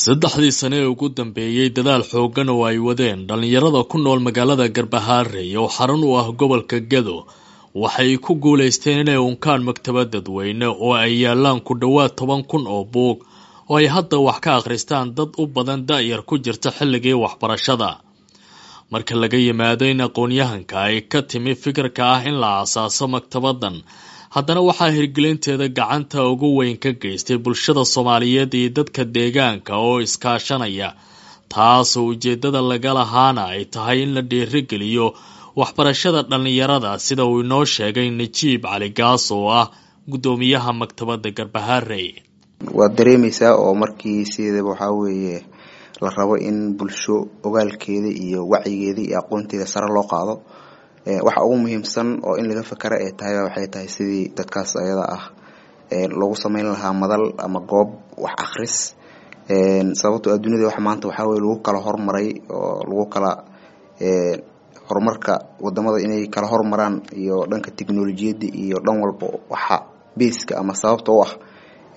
Saddexdii sane ee ugu dambeeyey dadaal xooggan oo ay wadeen dhallinyarada ku nool magaalada Garbaharey oo xarun u ah gobolka Gedo waxay ku guulaysteen inay unkaan maktabad dadweyne oo ay yaalaan ku dhowaad 10,000 oo buug oo ay hadda wax ka akhristaan dad u badan da'yar ku jirta xilligii waxbarashada. Marka laga yimaado in aqoon-yahanka ay ka timi fikirka ah in la aasaaso maktabaddan, haddana waxaa hirgelinteeda gacanta ugu weyn ka geystay bulshada Soomaaliyeed iyo dadka deegaanka oo iskaashanaya, taasoo ujeeddada laga lahaana ay tahay in la dhiirigeliyo waxbarashada dhallinyarada, sida uu inoo sheegay Najiib Cali Gaas oo ah guddoomiyaha maktabadda Garbaharey. Waad dareemeysaa oo markii sideedaba waxaa weeye la rabo in bulsho ogaalkeeda iyo wacyigeeda iyo aqoonteeda sare loo qaado, waxa ugu muhiimsan oo in laga fakara ay tahay waxay tahay sidii dadkaas ayada ah loogu sameyn lahaa madal ama goob wax akhris. Sababtoo ah dunida wax maanta waxaa weye lagu kala hormaray oo lagu kala horumarka wadamada inay kala hormaraan iyo dhanka tiknolojiyadda iyo dhan walba waxa beeska ama sababta u ah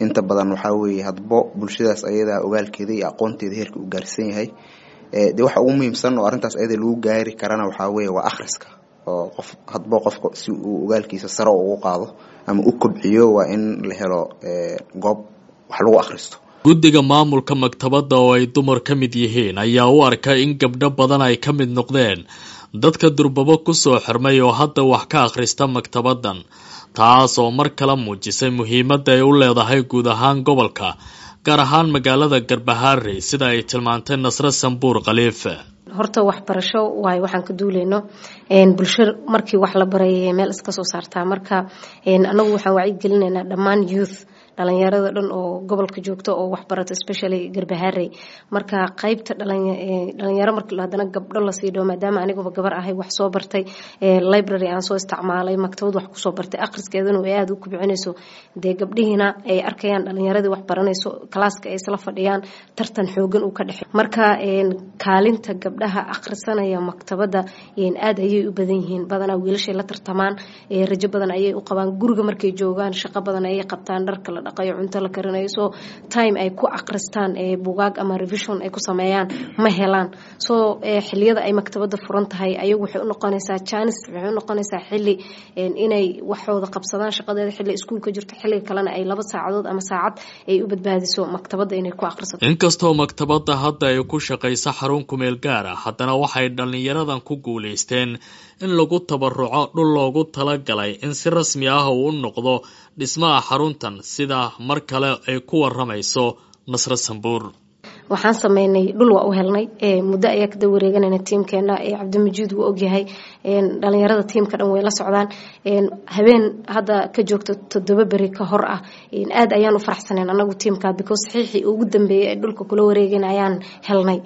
inta badan waxaa weeye hadbo bulshadaas ayadaa ogaalkeeda iyo aqoonteeda heerka uu gaarsan yahay. Dee waxa ugu muhiimsan oo arrintaas ayada lagu gaari karana waxaa weeye waa akhriska, oo qof hadbo qofka si uu ogaalkiisa sare ugu qaado ama u kobciyo waa in la helo goob wax lagu akhristo. Guddiga maamulka maktabadda oo ay dumar ka mid yihiin ayaa u arka in gabdho badan ay ka mid noqdeen dadka durbabo kusoo xirmay oo hadda wax ka akhrista maktabaddan, taas oo mar kale muujisay muhiimadda ay u leedahay guud ahaan gobolka, gaar ahaan magaalada Garbaharey, sida ay tilmaantay Nasre Sambuur Khaliife. Horta waxbarasho waayo waxaan ka duuleyno bulsho markii wax la baray meel iska soo saartaa. Marka anagu waxaan wacyigelinaynaa dhammaan youth, dhalinyarada dhan oo gobolka joogta oo waxbarato, especially Garbaharey. Marka qaybta dhalinyaro marka haddana gabdho lasii dhawo, maadaama aniguba gabar ahay wax soo bartay, library aan soo isticmaalay, maktabad wax kusoo bartay, akhriskeeduna ay aada u kubcinayso, dee gabdhihiina ay arkayaan dhalinyaradii wax baranayso, kalaaska ay isla fadhiyaan, tartan xoogan uu ka dhexey. Marka kaalinta gabdhaha akhrisanaya maktabadda aada ayay u badan yihiin. Badanaa wiilashay la tartamaan, rajo badan ayay u qabaan. Guriga markay joogaan shaqo badan ayay qabtaan, dharka la dhaqayo, cunto la karinayo, so time ay ku akhristaan bugaag ama revision ay ku sameeyaan ma helaan. So xiliyada ay maktabadda furan tahay ayagu waxay u noqonaysaa chance, waxay u noqonaysaa xilli inay waxooda qabsadaan, shaqadeeda xilli iskuulka jirto, xilliga kalena ay 2 saacadood ama saacad ay u badbaadiso maktabadda inay ku akhrisato. Inkastoo maktabadda hadda ay ku shaqayso xarun kumeel gaar ah, haddana waxay dhallinyaradan ku guulaysteen in lagu tabaruco dhul loogu talagalay in si rasmi ah uu u noqdo dhismaha xaruntan, sida mar kale ay ku waramayso Nasre Sambuur. Waxaan sameynay dhul, waa u helnay, muddo ayaa kada wareeganayna tiimkeena. Cabdimajiid wuu ogyahay, dhalinyarada tiimka dhan way la socdaan. Habeen hadda ka joogto 7 beri ka hor ah aada ayaan u faraxsaneen anagu tiimka, because saxiixii ugu dambeeyay ee dhulka kula wareegeen ayaan helnay,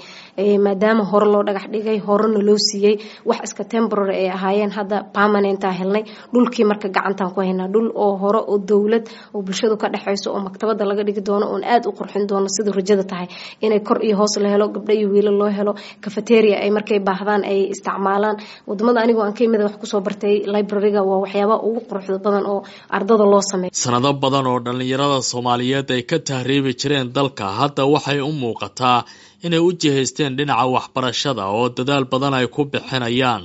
maadaama hore loo dhagax dhigay, horena loo siiyey, wax iska temporary ay ahaayeen, hadda permanentaa helnay dhulkii. Marka gacantaan ku haynaa dhul oo hore oo dowlad oo bulshadu ka dhexeyso oo maktabada laga dhigi doono oon aada u qurxin doono, siduu rajada tahay inay kor iyo hoos la helo, gabdho iyo wiilo loo helo, cafeteria ay markay baahdaan ay isticmaalaan. Wadamada anigoo aan ka imid wax kusoo bartay, libraryga waa waxyaabaha ugu quruxda badan oo ardada loo sameeyo. Sanado badan oo dhallinyarada Soomaaliyeed ay ka tahriibi jireen dalka, hadda waxay u muuqataa inay u jihaysteen dhinaca waxbarashada oo dadaal badan ay ku bixinayaan.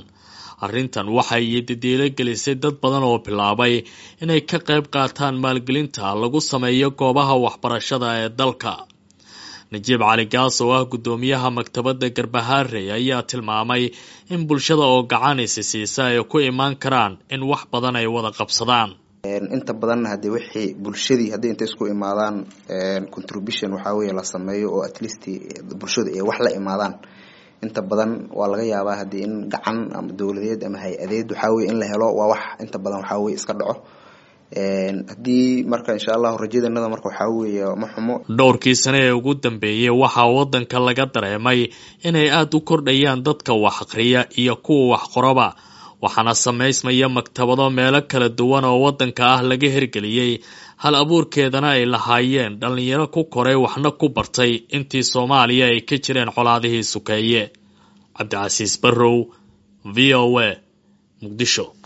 Arrintan waxay didiilo gelisay dad badan oo bilaabay inay ka qayb qaataan maalgelinta lagu sameeyo goobaha waxbarashada ee dalka. Najiib Cali Gaas oo ah guddoomiyaha maktabadda Garbaharey ayaa tilmaamay in bulshada oo gacanaysi siisa ay ku imaan karaan in wax badan ay wada qabsadaan. Inta badanna hadii wixii bulshadii haddii intay isku imaadaan contribution waxaa weye la sameeyo oo at least bulshadu ay wax la imaadaan, inta badan waa laga yaabaa haddii in gacan ama dowladeed ama hay-adeed waxaa weye in la helo, waa wax inta badan waxaa weye iska dhaco. Haddii marka insha allahu rajadanada marka waxaa weeye ma xumo. Dhowrkii sane ee ugu dambeeyey waxaa waddanka laga dareemay inay aada u kordhayaan dadka wax akhriya iyo kuwa wax qoraba, waxaana samaysmaya maktabado meelo kala duwan oo waddanka ah laga hirgeliyey, hal abuurkeedana ay lahaayeen dhallinyaro ku koray waxna ku bartay intii Soomaaliya ay ka jireen colaadihii sukeeye. Cabdicasiis Barrow, V O A, Muqdisho.